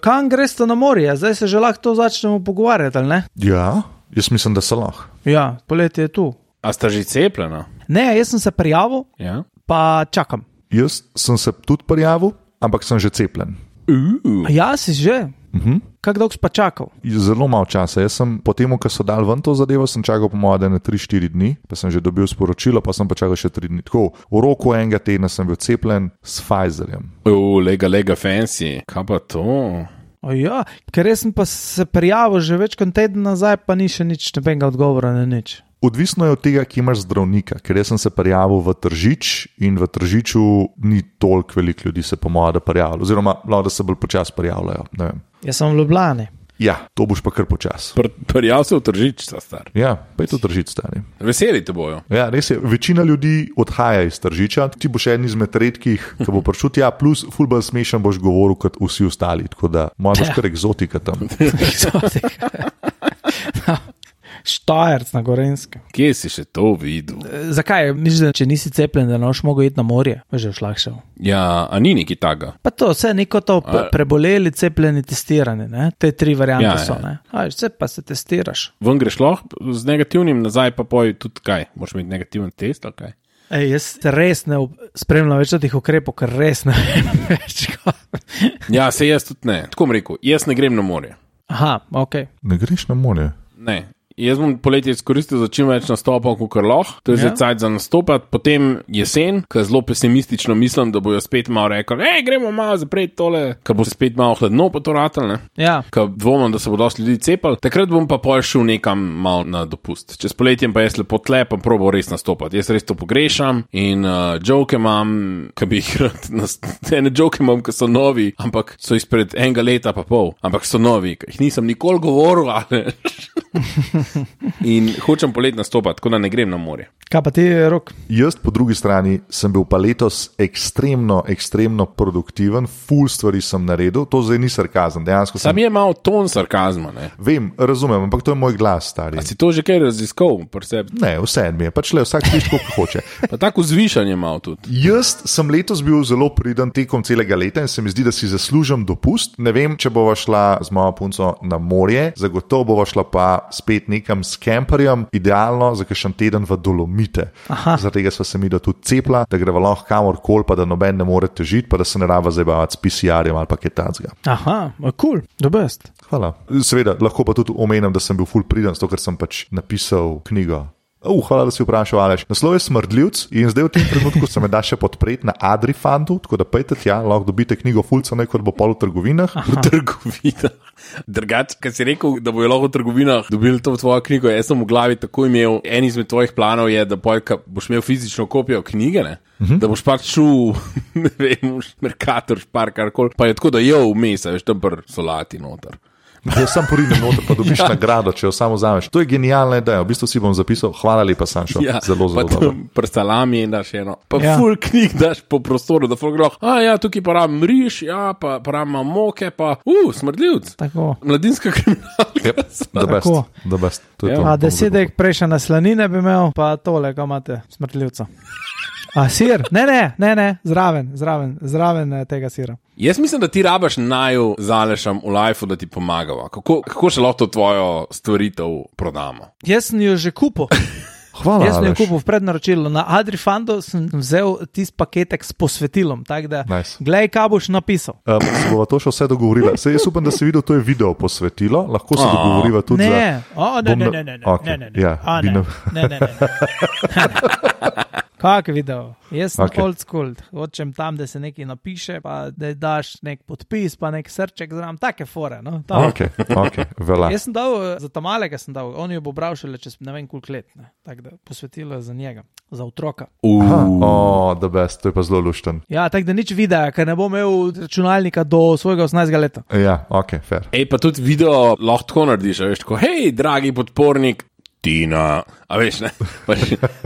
Kam greš to na morje? Zdaj se že lahko to začnemo pogovarjati, ali ne? Ja, jaz mislim, da se lahko. Ja, poletje je tu. A sta že cepljena? Ne, jaz sem se prijavil, Ja. pa čakam. Jaz sem se tudi prijavil, ampak sem že cepljen. Ja, si že. Kako dolgo si pa čakal? Zelo malo časa. Jaz sem po tem, ko so dal ven to zadevo, sem čakal po mojem 3-4 dni, pa sem že dobil sporočilo, pa sem pa čakal še 3 dni. Tako, v roku enega tedna sem bil cepljen s Pfizerjem. Lega fancy. Kaj pa to? Ja, ker jaz sem pa se prijavil že več kot teden nazaj, pa ni še nič, nobenega odgovora na nič. Odvisno je od tega, ki imaš zdravnika, ker jaz sem se prijavil v Tržič in v Tržiču ni toliko veliko ljudi se po mojem prijavilo, oziroma da se bolj počasi prijavljajo. Jaz sem v Ljubljani. Ja, to boš pa kar počasi. Prijav se v Tržič, sta star. Ja, pa je to Tržič stari. Veseli te bojo. Ja, res je. Večina ljudi odhaja iz Tržiča, ti boš en izmed redkih, ki bo prišel tja, plus ful bolj smešen boš govoril kot vsi ostali, tako da moja boš kar egzotika tam. Štajerc na Gorenskem. Kje si še to videl? Zakaj? Misliš, da če nisi cepljen, da ne boš mogel iti na morje? Pa že šlahšal. Ja, a ni neki taga? Pa to, vse neko to preboleli, cepljeni, testirani, ne? Te 3 variante so, ne? Vse pa se testiraš. Ven greš lahko z negativnim, nazaj pa poj tudi kaj? Moraš imeti negativen test ali kaj? Jaz res ne spremljam več teh ukrepov, ker res ne vem več. Ja, se jaz tudi ne. Tako bom rekel, jaz ne grem na morje. Aha, ok. Ne greš na morje? Ne. Jaz bom poletje izkoristil za čim več nastopov, kot lahko, to je zdaj cajt za nastopati, potem jesen, ko zelo pesimistično mislim, da bojo spet malo rekli, gremo malo zapreti tole, ko bo spet malo hladno po to ratal, ne? Ja. Ko dvomim, da se bo dosti ljudi cepali, takrat bom pa pol šel nekam malo na dopust. Čez poletjem pa jaz lepo tle, pa probal res nastopati. Jaz res to pogrešam in joke imam, ki bi jih rad, ene joke imam, ki so novi, ampak so izpred enega leta pa pol, ampak so novi, ki jih nisem nikoli govoril, ali in hočem polet nastopati, tako da ne grem na morje. Kaj pa ti, Rok? Jaz po drugi strani sem bil pa letos ekstremno produktiven, ful stvari sem naredil, to zdaj ni sarkazem, dejansko sem... Sam je malo ton sarkazma, ne? Vem, razumem, ampak to je moj glas, stari. A si to že kaj raziskal? Ne, vse mi je, pač le vsak sliši, kako hoče. Pa tako zvišanje malo tudi. Jaz sem letos bil zelo priden tekom celega leta in se mi zdi, da si zaslužim dopust. Ne vem, če bova šla z mojo punco na morje, zagotovo bova šla pa spet nekam s kemperjem, idealno za kakšen teden v Dolomite. Zaradi tega sva se mi da tudi cepla, da greva lahko kamorkoli, pa da noben ne more težiti, pa da se ne raba zabavati s PCR-jem ali pa kaj takega. Aha, cool, the best. Hvala. Seveda, lahko pa tudi omenim, da sem bil ful priden, zato ker sem pač napisal knjigo. Hvala, da si vprašal, Aleš. Naslov je Smrdljivc in zdaj v tem trenutku se me da še podpreti na Adrifandu, tako da pejte tja, lahko dobite knjigo fulca, nekaj bo pol v trgovinah. V trgovinah. Drugač, kad si rekel, da bojo lahko v trgovinah dobili to v tvojo knjigo, jaz sem v glavi tako imel, en izmed tvojih planov je, da boš imel fizično kopijo knjige, ne? Da boš pač šel, ne vem, Mercator, Špar, karkoli, pa je tako, da je vmes, veš, tam pr solati noter. Jaz sam poridem noter, pa dobiš nagrado, če jo samo vzameš. To je genialna ideja, v bistvu si bom zapisal, hvala lepa, Sanšo, zelo dobro. Pri salami daš eno, pa ful knjig daš po prostoru, da ful groh, tukaj pa rabim riž, pa rabim moke, pa Smrdljivc. Tako. Mladinska kriminalka. The best. To je to. 10 prejšnja slanine bi imel, pa tole, kaj imate, Smrdljivca. Sir? Ne, zraven tega sira. Jaz mislim, da ti rabaš naju zalešam v lifeu, da ti pomagava. Kako še lahko to tvojo stvaritev prodamo? Jaz sem jo že kupil. Hvala, jaz sem jo kupil v prednaročilu. Na Adrifandu sem vzel tist paketek s posvetilom, tako da glej, kaj boš napisal. Se bova to še vse dogovorila. Jaz upam, da si videl, to je video posvetilo, lahko se dogovoriva tudi Ne. Kak video? Jaz sem old school, hočem tam, da se nekaj napiše, pa da daš nek podpis, pa nek srček zram, take fore, no? Ok, vela. Jaz sem dal, za Tamalega sem dal, on jo bo bral šele čez ne vem koliko let, ne? Tako da posvetilo je za njega, za otroka. The best, to je pa zelo lušten. Ja, tako da nič videa, ker ne bo imel računalnika do svojega 18. leta. Ja, ok, fair. Pa tudi video lahko tako narediš, veš, tako, hej, dragi podpornik, Tina, a veš, ne?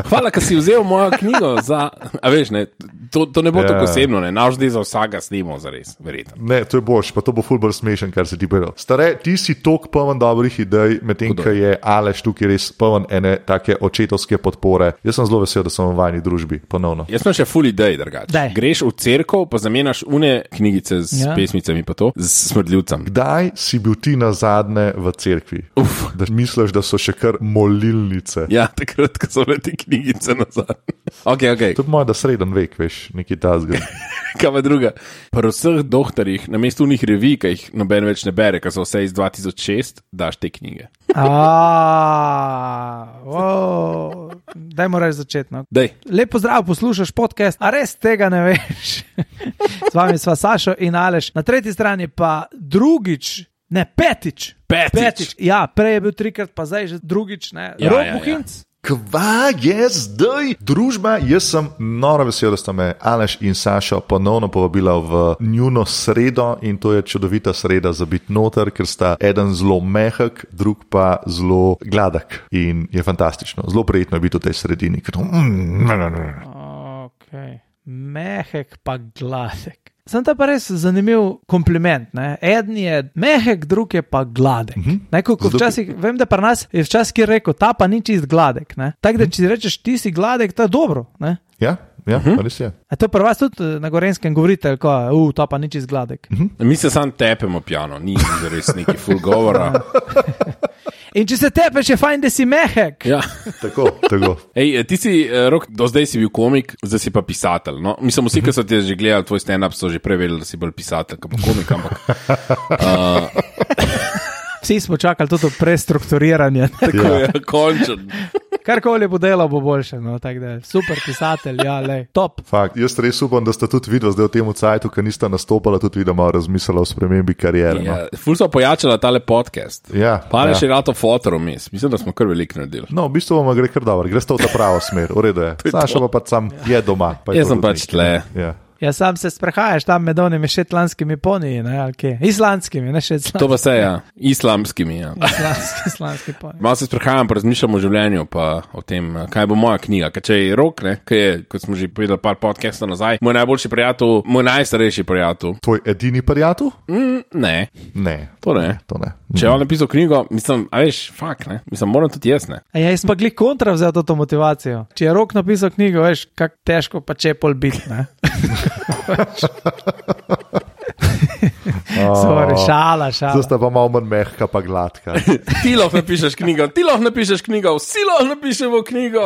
Hvala, ker si vzel mojo knjigo za, a veš, ne? To ne bo tako osebno, ne? Naš zdaj za vsega snimo, zares, verjetno. Ne, to je boš, pa to bo ful bolj smešen, kar se ti povedal. Stare, ti si tok poln dobrih idej, medtem ko je Aleš tukaj res poln ene take očetovske podpore. Jaz sem zelo vesel, da sem v vajni družbi, ponovno. Jaz sem še ful idej, drugače. Greš v cerkev, pa zamenjaš une knjigice z pesmicami, pa to, z smrdljivcem. Kdaj si bil ti nazadnje v cerkvi? Da misliš, da so še kar molilnice? Ja, takrat, ko so bile te knjigice nazadnje. Okay. To je moj, da sreden vek, veš, neki tazga. Kaj pa druga? Pri vseh doktorjih, na mestu unih revij, ki jih noben več ne bere, ker so vse iz 2006, daš te knjige. Daj moraš začeti. No. Lep pozdrav, poslušaš podcast, a res tega ne veš. Z vami sva Sašo in Aleš. Na tretji strani pa petič. Ja, prej je bil 3krat, pa zdaj že drugič, ne. Rok Buhinc. Kva je zdaj? Družba, jaz sem noro vesel, da sta me Aleš in Sašo ponovno povabila v njuno sredo in to je čudovita sreda za biti noter, ker sta eden zelo mehek, drug pa zelo gladek in je fantastično. Zelo prijetno je biti v tej sredini. Mehek pa gladek. Sem ta pa res zanimiv kompliment. Ne? Eden je mehek, drug je pa gladek. Včasih, vem, da pri nas je včasih ki rekel, ta pa ni čist gladek. Tako da, če rečeš, ti si gladek, to je dobro. Ne? Ja, res je. A to pri vas tudi na Gorenskem govorite, ta pa ni čist gladek. Mi se sam tepemo pjano, ni res neki full govora. In če se tepeš, je fajn, da si mehek. Ja. Tako. Ej, ti si, Rok, do zdaj si bil komik, zdaj si pa pisatelj. No? Mislim, vsi, ki so te že gledali, tvoj stand-up, so že preverili, da si bolj pisatelj, kot pa komik, ampak... Vsi smo čakali tudi prestrukturiranje. Tako je, končen. Karkoli bo delal, bo boljše. No? Super pisatelj, top. Fakt, jaz res upam, da sta tudi videla zdaj v tem cajtu, ki nista nastopala, tudi videla malo razmislila o spremembi kariere. Ja, ful so pojačala tale podcast. Ja. Pa je še rato fotorom, mislim, da smo kar veliko naredili. No, v bistvu vam gre kar dobro, greste v ta pravo smer, v redu je. Saša pa sam je doma. Jaz sem pač tle. Ja. Ja, sam se sprehajaš tam med onimi šetlanskimi poniji, ne, ali kje? Islandskimi, ne šetlanskimi. To pa se, ja. Islamskimi, ja. Islamski poniji. Malo se sprehajam, pa razmišljam o življenju, pa o tem, kaj bo moja knjiga. Ker če je Rok, ne, kaj je, kot smo že povedali par podcastov nazaj, moj najboljši prijatelj, moj najstarejši prijatelj. Tvoj edini prijatelj? Ne. To ne. Če je on napisal knjigo, mislim, a veš, fakt, ne. Mislim, moram tudi jaz, ne. Ja, jaz pa glih kontra vzel to motivacijo. Če je Rok napisal knjigo, veš, kak težko pa čepol biti, ne. Sorry, šala. Zdaj sta pa malo manj mehka pa gladka. Ti lahko napišeš knjigo, vsi lahko napišemo knjigo.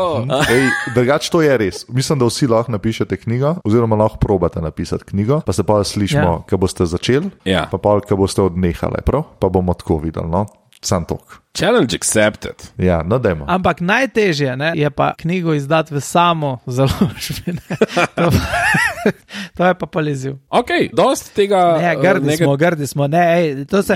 Drugače to je res. Mislim, da vsi lahko napišete knjigo, oziroma lahko probate napisati knjigo, pa se pa slišimo, ko boste začeli, pa pa ko boste odnehali, prav? Pa bomo tako videli, no? Sam tok. Challenge accepted. Ja, no dajmo. Ampak najtežje, ne, je pa knjigo izdati v samo založbi. To je pa paliziv. Ok, dost tega... Ne, grdi smo. Ne, to se...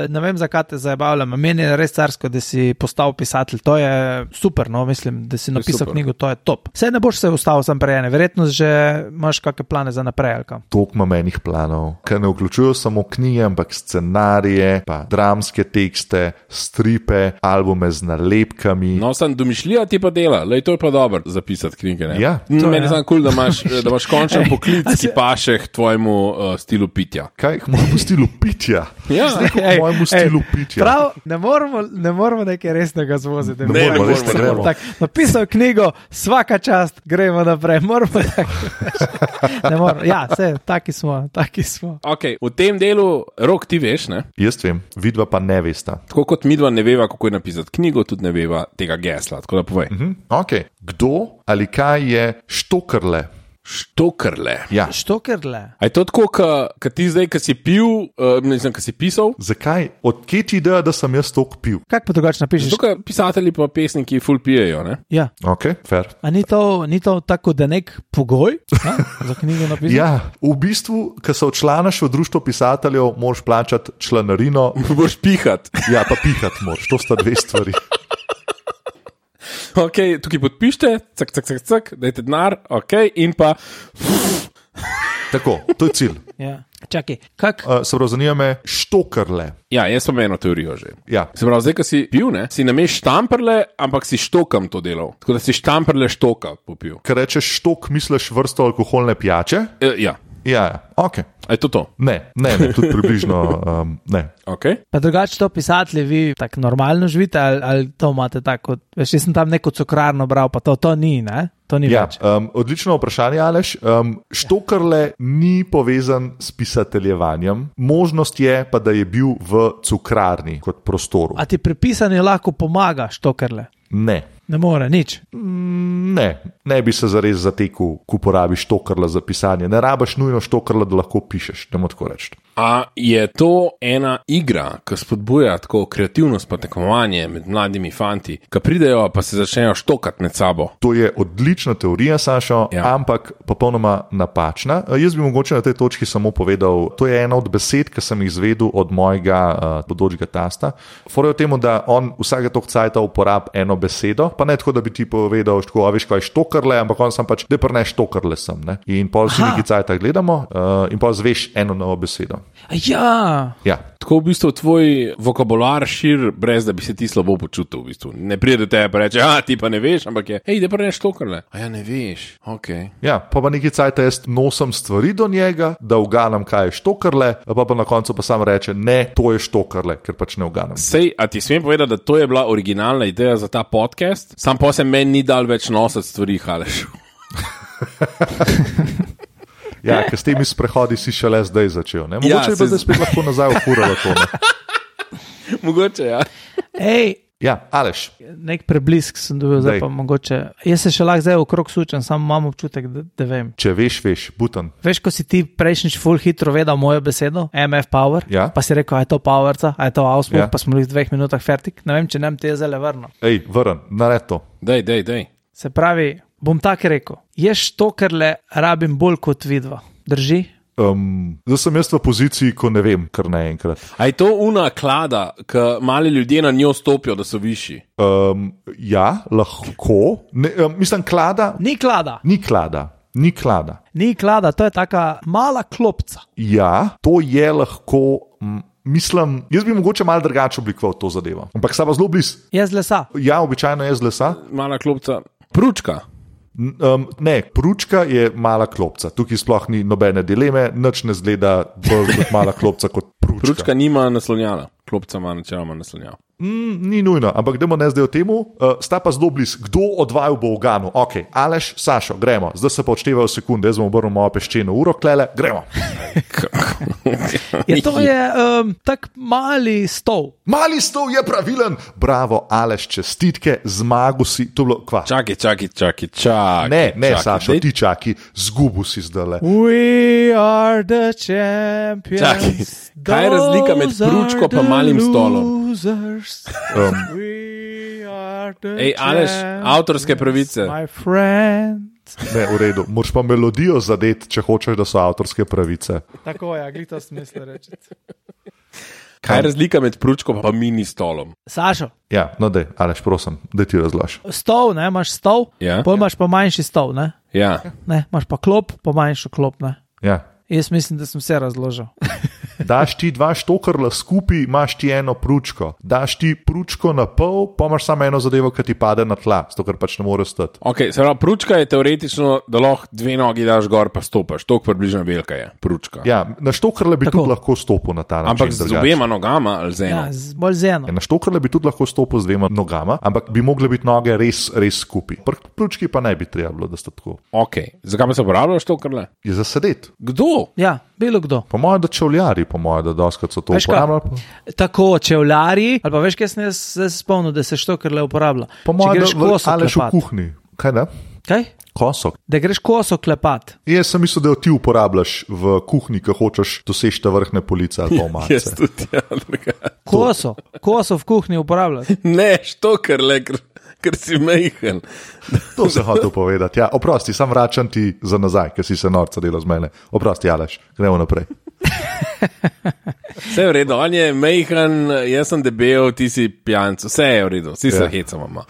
ne vem, zakaj te zajebavljam. Meni je res carsko, da si postal pisatelj. To je super, no, mislim, da si napisal knjigo, to je top. Vse ne boš se ustavil sam prejene. Verjetno že imaš kakšne plane za naprej, ali kam? Toliko imam enih planov, ker ne vključujo samo knjige, ampak scenarije, pa dramske tekste, stripe, albume z nalepkami. No, sem domišljija ti pa dela, lej, to je pa dobro zapisati knjige, ne? Ja. Meni je samo kul, da imaš končen poklic, ki paše k tvojemu stilu pitja. Kaj, k mojemu stilu pitja? Ja. K mojemu stilu pitja. Prav, ne moramo nekaj resnega zvoziti. Ne moramo. Napisal knjigo, svaka čast, gremo naprej. Moramo ne moramo. Ja, taki smo. Ok, v tem delu, Rok, ti veš, ne? Jaz vem, vidva pa ne vesta. Tako kot midva ne veva, kako je napisati knjigo, tudi ne veva tega gesla, tako da povej. Ok, kdo ali kaj je Štokrle? Štokrle. Ja. Štokrle. A je to tako, ka ti zdaj, ka si pil, ne znam, ka si pisal? Zakaj? Odkje ti ideja, da sem jaz tok pil? Kak pa drugače napišeš? Zato, ka pisatelji pa pesniki ful pijejo, ne? Ja. Ok, fair. A ni to tako, da nek pogoj za knjigo napisati? Ja, v bistvu, ka se odčlanaš v društvo pisateljev, moraš plačati članarino. Moraš pihati. Ja, pa pihati moraš, to sta dve stvari. Ok, tukaj podpište, cak, dajte denar, ok, in pa... Tako, to je cilj. Ja. Čakaj, kak? Se pravi, zanima me štokrle. Ja, jaz sem eno teorijo že. Ja. Se pravi, zdaj, ko si pil, ne, si nameš štamperle, ampak si štokam to delal. Tako da si štamperle štoka popil. Ker rečeš štok, misliš vrsto alkoholne pijače? Ja. Ja, ok. A je to? Ne, tudi približno ne. Okay. Pa drugače to pisatelji, vi tako normalno živite ali to imate tako? Veš, jaz sem tam neko cukrarno bral, pa to ni, ne? To ni Ja, več. odlično vprašanje, Aleš. Štokrle ni povezan s pisateljevanjem. Možnost je pa, da je bil v cukrarni kot prostoru. A ti pripisani lahko pomaga štokrle? Ne. Ne more, nič. Ne bi se zares zatekel, ko uporabiš štokrla za pisanje. Ne rabiš nujno štokrla, da lahko pišeš, ne moreš tako reči. A je to ena igra, ki spodbuja tako kreativnost pa tekmovanje med mladimi fanti, ki pridejo pa se začnejo štokati med sabo? To je odlična teorija, Sašo, Ja. ampak popolnoma napačna. Jaz bi mogoče na tej točki samo povedal, to je ena od besed, ki sem jih izvedel od mojega bodočega tasta. Fora je v tem, da on vsake toliko cajta uporabi eno besedo, pa ne tako, da bi ti povedal, tako, a veš, kaj je štokrle, ampak on sam pač, da pa ne štokrle sem. Ne? In pol si neki cajta gledamo in pol zveš eno novo besedo. Ja, Ja. Tako v bistvu tvoj vokabular šir, brez da bi se ti slabo počutil. V bistvu. Ne pride do tebe pa reče, ti pa ne veš, ampak je, hej, da pa ne štokrle. A ja, ne veš, ok. Ja, pa neki cajt jaz nosim stvari do njega, da uganam, kaj je štokrle, pa na koncu pa sam reče, ne, to je štokrle, ker pač ne uganam. Sej, a ti smem povedati, da to je bila originalna ideja za ta podcast? Sam pa se meni ni dal več nositi stvari, Aleš. Ja, ker s temi sprehodi si šele zdaj začel. Ne? Ja, Mogoče bi zdaj spet lahko nazaj ufuralo to. Ne? Mogoče, ja. Ej, Ja, Aleš. nek preblisk sem dobil, zdaj Daj. pa mogoče. Jaz se še lahko zdaj okrog sučem, samo imam občutek, da vem. Če veš, butan. Veš, ko si ti prejšnjič full hitro vedel mojo besedo, MF Power, Ja. pa si rekel, a je to Powerca, a je to Auspuff, Ja. pa smo bili v 2 minutah fertik. Ne vem, če nam te je zdaj vrno. Ej, vrn, nared to. Dej. Se pravi, bom tako rekel, jaz štokrle rabim bolj kot vidva. Drži? Zdaj sem jaz v poziciji, ko ne vem, kar naenkrat. A je to una klada, ki mali ljudje na njo stopijo, da so višji? Ja, lahko. Ne, mislim, klada. Ni klada. Ni klada. Ni klada. Ni klada, to je taka mala klopca. Ja, to je lahko. Mislim, jaz bi mogoče malo drugače oblikoval to zadevo. Ampak sta pa zelo blizu. Je z lesa. Ja, običajno je z lesa. Mala klopca. Pručka. Ne, pručka je mala klopca. Tukaj sploh ni nobene dileme, nič ne zgleda bolj kot mala klopca kot pručka. Pručka nima naslonjala. Klopca ima načeloma naslonjala. Ni nujno, ampak gremo ne zdaj o tem. Sta pa zelo blizu. Kdo od vaju bo uganu? Ok, Aleš, Sašo, gremo. Zdaj se pa odštevajo sekunde, jaz bom obrnil mojo peščeno uro, klele, gremo. Je to je tak mali stol. Mali stol je pravilen. Bravo, Aleš, čestitke, zmagu si. To je bilo kva. Čakaj. Ne, Sašo, ti čaki, zgubu si zdajle. We are the champions. Čakaj, kaj je razlika med pručko pa malim stolom? Ej, Aleš, avtorske pravice. My friend. Ne, v redu. Moraš pa melodijo zadeti, če hočeš, da so avtorske pravice. Tako je, glito smisel reči. Kaj je razlika med pručko pa mini stolom? Sašo, Ja, no dej, Aleš, prosim, da ti razložiš. stol, ne, imaš stol, Ja. pol imaš pa manjši stol, ne, Ja. imaš pa klop, pa manjšo klop, ne. Ja. Jaz mislim, da sem vse razložil. Daš ti dva štokrla skupaj, imaš ti eno pručko. Daš ti pručko na pol, pa imaš samo eno zadevo, ki ti pade na tla, zato ker pač ne more stati. Ok, se pravi, pručka je teoretično, da lahko 2 nogi daš gor pa stopaš. Tok približno velika je pručka. Ja, na štokrle bi Tako. tudi lahko stopil na ta način. Ampak z drugače. obema nogama ali z eno? Ja, bolj z eno. Na štokrle bi tudi lahko stopil z 2 nogama, ampak bi mogle biti noge res skupaj. Pri pručki pa ne bi treba bilo, da sta tako. Ok, zakaj pa se uporabljaš to krle? Je za sedeti. Kdo? Ja, bilo kdo. Po mojem, da čevljari, po mojem, da doskrat so to Veš kaj? uporabljali. Tako, čevljarji, ali pa veš, kaj sem jaz zdaj se spomnil, da se štokrle uporablja. Po Če mojem, greš da koso Aleš v klepat. kuhinji. Kaj da? Kaj? Koso. Da greš koso klepat. Jaz sem mislil, da jo ti uporabljaš v kuhinji, ko hočeš doseči ta vrhne police ali pa omarice. Jaz tudi, ja, drugače. Koso v kuhinji uporabljati. Ne, što krle, ker si mejhen. To sem hotel povedati. Ja, oprosti, sam vračam ti za nazaj, ker si se norca delal z mene. Oprosti, Aleš, gremo naprej. Vse je v redu, on je mejhan, jaz sem debel, ti si pijanc, vse je v redu, vsi se hecamo.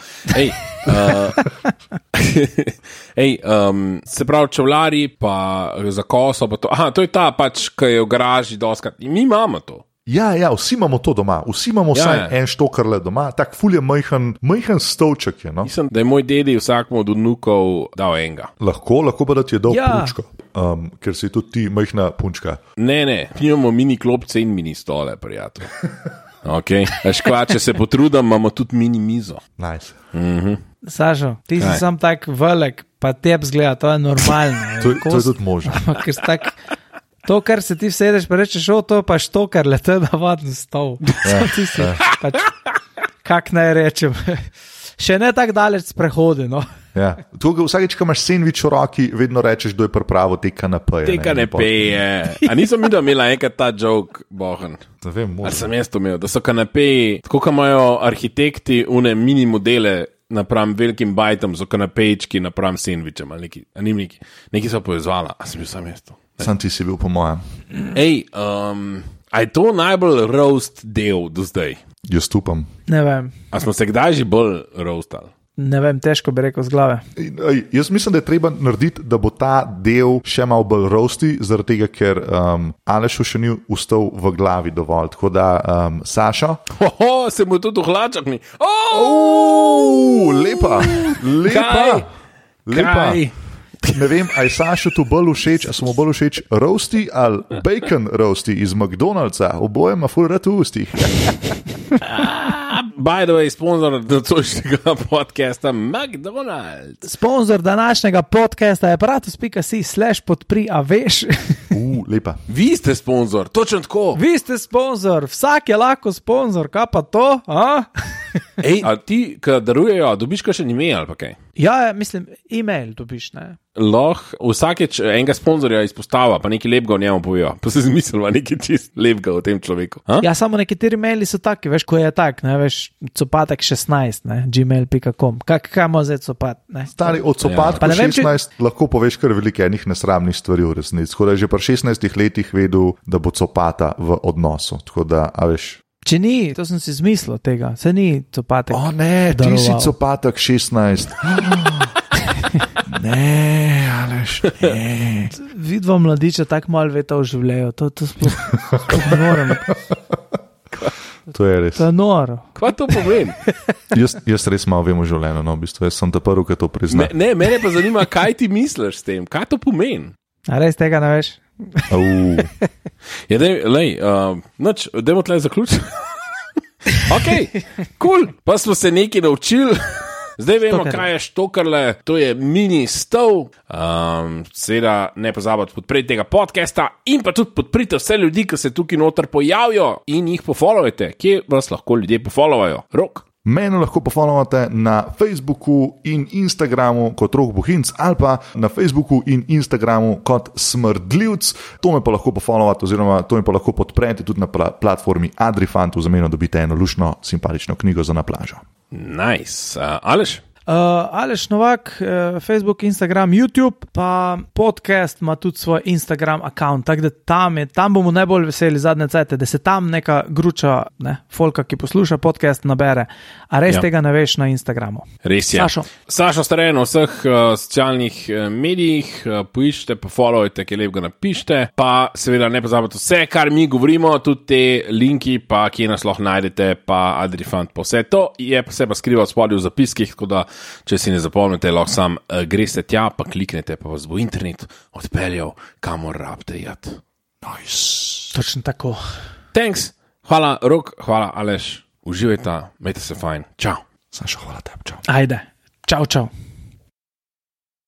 Se pravi, čevlari, pa za koso, pa to. Aha, to je ta pač, ki je v garaži doskrat. In mi imamo to. Ja, vsi imamo to doma, vsi imamo vsaj en štokarle doma, tak ful je majhen stolček je, no. Mislim, da je moj dedi vsakmu od vnukov dal enega. Lahko pa da ti je dal punčko, ker si tudi ti majhna punčka. Ne, imamo mini klopce in mini stole, prijatelj. Ok, če se potrudim, imamo tudi mini mizo. Nice. Sašo, ti si sam tak velik, pa tebi zgleda, to je normalno. To je tudi možno. To, kar se ti vsedeš, pa rečeš, to pa štokar, to je navaden stol. Kak naj rečem? Še ne tako daleč sprehodi, no. Ja. Vsakeč, ko imaš sendvič v roki, vedno rečeš, kdo je pripravil te kanepeje. Te kanepeje. A nisem videl, imela enkrat ta joke, bohen. Ne vem, možno. Ali sem jaz to imel, da so kanepeji, tako kot imajo arhitekti une mini modele napram velikim bajtom, so kanapejčki napram sendvičem, ali neki so povezvala, a sem bil sam jaz to. Sam ti si bil po mojem. A je to najbolj roast del do zdaj? Jaz upam. Ne vem. A smo se kdaj že bolj roastali? Ne vem, težko bi rekel z glave. Jaz mislim, da je treba narediti, da bo ta del še malo bolj roasti, zaradi tega, ker Alešu še ni ustal v glavi dovolj. Tako da, Sašo. Se mu tudi v hlačah ni. Lepa. Kaj? Ne vem, a je Sašo tu bolj všeč, a so mu bolj všeč roasti ali bacon roasti iz McDonald'sa. Oboje ima ful rad v ustih. By the way, sponzor nocojšnjega podcasta McDonald's. Sponzor današnjega podcasta je aparatus.si/podpri, a veš. Lepa. Vi ste sponzor, točno tako. Vi ste sponzor, vsak je lahko sponzor, kaj pa to? A ti, ki darujejo, dobiš kakšen email ali pa kaj? Ja, mislim, email dobiš, ne? Lahko vsakeč enega sponzorja izpostava, pa nekaj lepega o njemu povejo. Pa se zmislila nekaj čist lepega o tem človeku. Ja, samo nekateri maili so taki, veš, ko je tak, ne, veš, copatek 16, ne, gmail.com. Kaj ima zdaj copat, ne? Stari, od copatka 16 lahko poveš kar veliko enih nesramnih stvari v resnici. Tako da je že pri 16 letih vedel, da bo copata v odnosu. Tako da, a veš. Če ni, to sem si zmislil tega, se ni copatek. O ne, ti si copatek 16. Ne, Aleš, ne. Vidva mladiča tako malo veta v življenju, to sploh ne morem. To je res. To je noro. Kaj to pomeni? Jaz res malo vem v življenju, no, v bistvu, jaz sem ta prvi, ki to prizna. Ne, mene pa zanima, kaj ti misliš s tem, kaj to pomeni? A res tega ne veš? Ja, dajmo tle zaključiti. Ok, cool, pa smo se nekaj naučili. Zdaj vemo, kaj je štokarle, to je mini stol. Seveda ne pozabite podpreti tega podcasta in pa tudi podprite vse ljudi, ki se tukaj noter pojavijo in jih pofollowajte. Kje vas lahko ljudje pofollowajo? Rok? Mene lahko pofollowate na Facebooku in Instagramu kot Rok Bohinc ali pa na Facebooku in Instagramu kot Smrdljivc. To me pa lahko pofollowate oziroma to me pa lahko podprete tudi na platformi Adrifant, v zameno dobite eno lušno, simpatično knjigo za na plažo. Nice. Aleš? Aleš Novak, Facebook, Instagram, YouTube, pa podcast ima tudi svoj Instagram account, tako da tam bomo najbolj veseli zadnje cajte, da se tam neka gruča, folka, ki posluša podcast, nabere, a res tega ne veš na Instagramu. Res je. Sašo Stare na vseh socialnih medijih, poiščite, pa followajte, ki lepega napišite, pa seveda ne pozabite vse, kar mi govorimo, tudi te linki, pa kje nas lahko najdete, pa Adrifant, pa vse to je pa se pa skriva spodaj v zapiskih, tako da če si ne zapomnite, lahko sam greste tja, pa kliknete, pa vas bo internet odpeljal, kamor rabite jati. Nice. Točno tako. Thanks. Hvala, Rok, hvala, Aleš. Uživajte, imejte se fajn. Čau. Sašo, hvala tebi, čau. Ajde. Čau, čau.